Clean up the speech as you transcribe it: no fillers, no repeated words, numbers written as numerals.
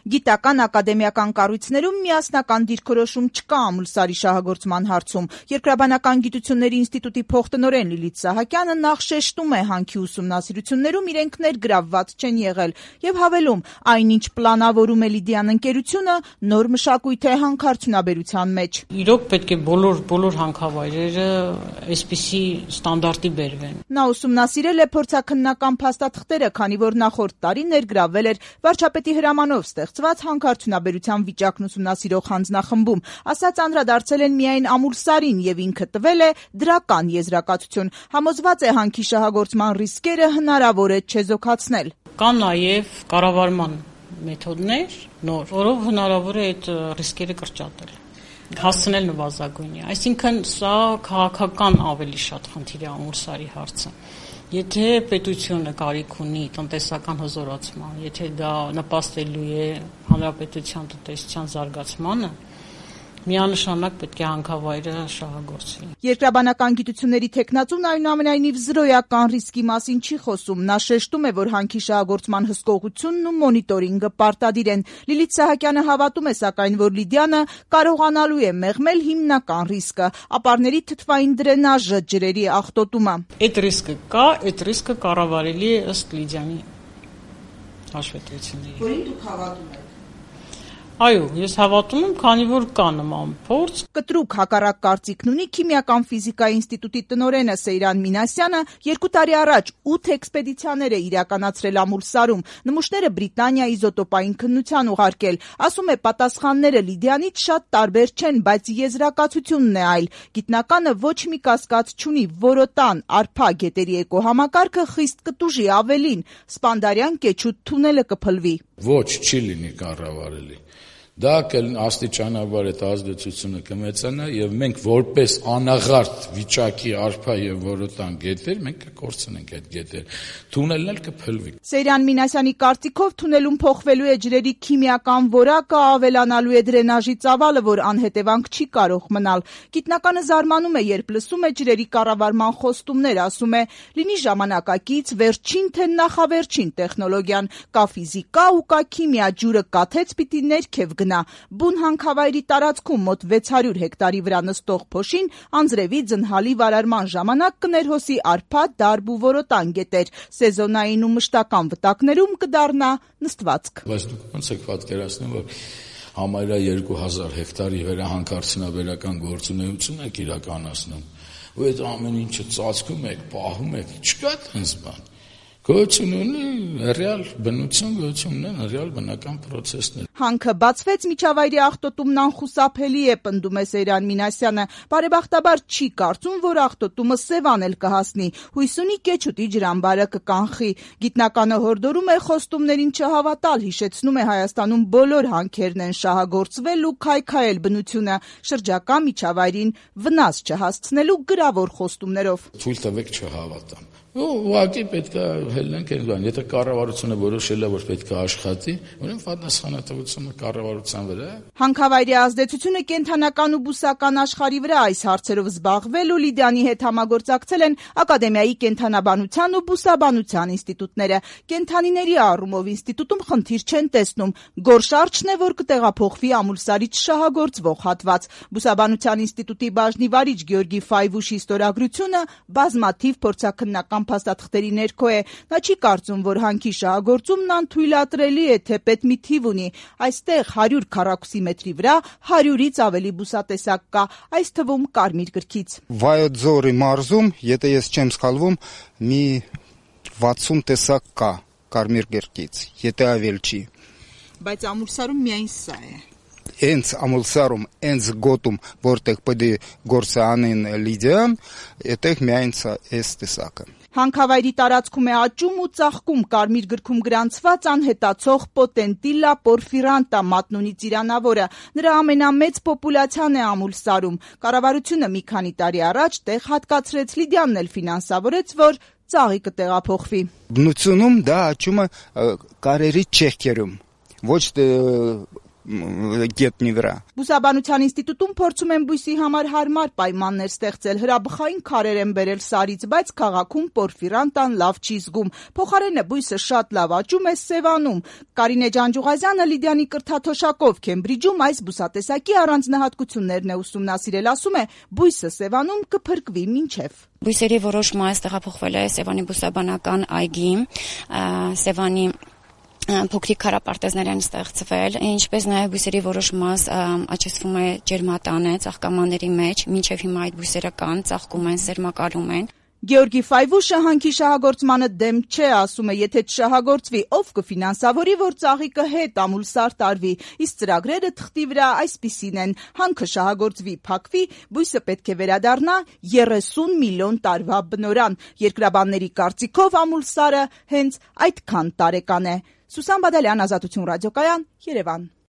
Գիտական ակադեմիական կառույցներում միասնական դիրքորոշում չկա ամուլսարի շահագործման հարցում։ Երկրաբանական գիտությունների ինստիտուտի փոխտնօրեն Լիլիթ Սահակյանը նախ շեշտում է հանքի ուսումնասիրություններում իրենք ներգրավված չեն եղել եւ հավելում, այնինչ պլանավորում է Լիդիան ընկերությունը, նոր մշակույթ է հանքարդյունաբերության մեջ։ Իրոք պետք է բոլոր հանքավայրերը այսպիսի ստանդարտի բերվեն։ Նա ուսումնասիրել է փորձաքննական փաստաթղթերը, քանի որ նախորդ տարի ներգրավվել էր վարչապետի հրամանով ստեղծված հանքարդյունաբերության վիճակն ուսումնասիրող հանձնախմբում, ասաց անդրադարձել են միայն ամուլսարին եւ ինքը տվել է դրական եզրակացություն։ Համոզված է հանքի շահագործման ռիսկերը հնարավոր է չեզոքացնել։ Կան նաեւ կառավարման մեթոդներ, նոր, որով հնարավոր է այդ ռիսկերը կրճատել, հասցնել նվազագույնի։ Այսինքն սա քաղաքական ավելի շատ խնդիր է ամուլսարի հարցը։ Եթե պետությունը կարիք ունի տնտեսական հզորացման, եթե դա նպաստելու է հանրապետության տնտեսության զարգացմանը, միանշանակ պետք է հանքավայրը շահագործվի։ Երկրաբանական գիտությունների թեկնածուն այնուամենայնիվ զրոյական ռիսկի մասին չի խոսում։ Նա շեշտում է, որ հանքի շահագործման հսկողությունն ու մոնիտորինգը պարտադիր են։ Լիլիթ Սահակյանը հավատում է, սակայն, որ Լիդիանը կարողանալու է մեղմել հիմնական ռիսկը՝ ապարների թթվային դրենաժը, ջրերի աղտոտումը։ Այդ ռիսկը կա, այդ ռիսկը կառավարելի է ըստ Լիդիանի հաշվետվությունների։ Որին դուք հավատում եք։ Այո, ես հավատում եմ, քանի որ կա նման փորձ։ Կտրուկ հակառակ կարծիքն ունի Քիմիական ֆիզիկայի ինստիտուտի տնօրենը Սեյրան Մինասյանը, 2 տարի առաջ 8 էքսպեդիցիաներ է իրականացրել ամուլսարում, նմուշները Բրիտանիա իզոտոպային քննության ուղարկել։ Ասում է, պատասխանները Լիդիանից շատ տարբեր չեն, բայց եզրակացությունն է այլ։ Գիտնականը ոչ մի կասկած չունի, որոտան, արփա գետերի էկոհամակարգը խիստ կտուժի, ավելին, Սպանդարյան կեչուտ թունելը կփլվի։ Ոչ, չի լինի կառավարելի։ Դա աստիճանաբար այդ ազդեցությունը կմեծանա եւ մենք որպես անաղարտ վիճակի արփա եւ որոտան գետեր մենք կկորցնենք այդ գետեր։ Թունելն էլ կփլվի։ Սեյրան Մինասյանի կարծիքով թունելում փոխվելու է ջրերի քիմիական որակը, ավելանալու է դրենաժի ծավալը, որ անհետևանք չի կարող մնալ։ Գիտնականը զարմանում է, երբ լսում է ջրերի կառավարման խոստումներ, ասում է, լինի ժամանակակից, վերջին թե նախավերջին տեխնոլոգիան, կա ֆիզիկա ու կա քիմիա, ջուրը կաթեց պիտի ներքև գնա։ Բուն հանքավայրի տարածքում մոտ 600 հեկտարի վրա նստող փոշին անձրևի ձնհալի վարարման ժամանակ կներհոսի արփա, դարբ ու որոտան գետեր, սեզոնային ու մշտական վտակներում կդառնա նստվածք։ Բայց դուք ոնց եք պատկերացնում, որ համարյա 2000 հեկտարի վրա հանքարդյունաբերական գործունեություն եք իրականացնում, ու այդ ամեն ինչը ծածկում եք, պահում եք, չկա տենց բան։ Գոյություն ունի ռեալ բնություն, գոյություն ունեն ռեալ բնական պրոցեսներ։ Հանքը բացվեց, միջավայրի աղտոտումն անխուսափելի է, պնդում է Սեյրան Մինասյանը։ Բարեբախտաբար չի կարծում, որ աղտոտումը Սևան էլ կհասնի։ Հույս ունի կեչուտի ջրամբարը կկանխի։ Գիտնականը հորդորում է խոստումներին չհավատալ, հիշեցնում է Հայաստանում բոլոր հանքերն են շահագործվել ու քայքայել բնությունը, շրջակա միջավայրին վնաս չհասցնելու գրավոր խոստումներով։ Թույլ տվեք չհավատամ։ Ուղղակի պետք է հելնենք այն բան, եթե կառավարությունը որոշել է, որ պետք է աշխատի, ուրեմն պատասխանատվությունը կառավարության վրա է։ Հանքավայրի ազդեցությունը կենդանական ու բուսական աշխարհի վրա այս հարցերով զբաղվել ու Լիդիանի հետ համագործակցել են Ակադեմիայի կենդանաբանության ու բուսաբանության ինստիտուտները։ Կենդանիների առումով ինստիտուտում խնդիր չեն տեսնում։ Գորշարչն է, որ կտեղափոխվի ամուլսարից շահագործվող հատված։ Բուսաբանության ինստիտուտի բաժնի վարիչ Գյորգի Ֆայվուշի ստորագրությունը բազմաթիվ փորձաքննական փաստաթղթերի ներքո է։ Նա չի կարծում, որ հանքի շահագործումն անթույլատրելի է, թեպետ մի թիվ ունի։ Այստեղ 100 քառակուսի մետրի վրա 100-ից ավելի բուսատեսակ կա, այս թվում կարմիր գրքից։ Վայոց-Ձորի մարզում, եթե ես չեմ սխալվում, մի 60 տեսակ կա կարմիր գրքից, եթե ավել չի։ Բայց ամուլսարում միայն սա է։ Հենց ամուլսարում, հենց գոտում, որտեղ պետք է գործը անեն Լիդիան, այդտեղ միայն այս տեսակը։ Հանքավայրի տարածքում է աճում ու ծաղկում կարմիր գրքում գրանցված անհետացող Potentilla porphyrantha մատնունի ծիրանավորը։ Նրա ամենամեծ պոպուլյացիան է ամուլսարում։ Կառավարությունը մի քանի տարի առաջ տեղ հատկացրեց, Լիդիանն էլ ֆինանսավորեց, որ ծաղիկը տեղափոխվի։ Բնությունում դա աճում է կարերի չեղքերում, ոչ գետնի վրա։ Բուսաբանության ինստիտուտում փորձում են բույսի համար հարմար պայմաններ ստեղծել, հրաբխային քարեր են բերել Սարից, բայց քաղաքում պորֆիրանտան լավ չի զգում։ Փոխարենը բույսը շատ լավ աճում է Սևանում։ Կարինե Ջանջուղազյանը Լիդիանի կրթաթոշակով Քեմբրիջում այս բուսատեսակի առանձնահատկություններն է ուսումնասիրել, ասում է, բույսը Սևանում կփրկվի մինչև։ Բույսերի որոշ մաս տեղափոխվել է Սևանի բուսաբանական այգի, Սևանի փոքրիկ քարապարտեզներ են ստեղծվել, ինչպես նաև բույսերի որոշ մաս աճեցվում է ջերմատանը, ծաղկամանների մեջ, մինչև հիմա այդ բույսերը կան, ծաղկում են, սերմակալում են։ Գեորգի Ֆայվուշը հանքի շահագործմանը դեմ չէ, ասում է, եթե չշահագործվի, ով կֆինանսավորի, որ ծաղիկը հետ ամուլսար տարվի, իսկ ծրագրերը թղթի վրա այսպիսին են, հանքը շահագործվի, փակվի, բույսը պետք է վերադառնա 30 միլիոն տարվա բնորան։ Երկրաբանների կարծիքով ամուլսարը հենց այդքան տարեկան է։ Սուսան Բադալյան, Ազատություն ռադիոկայան, Երևան։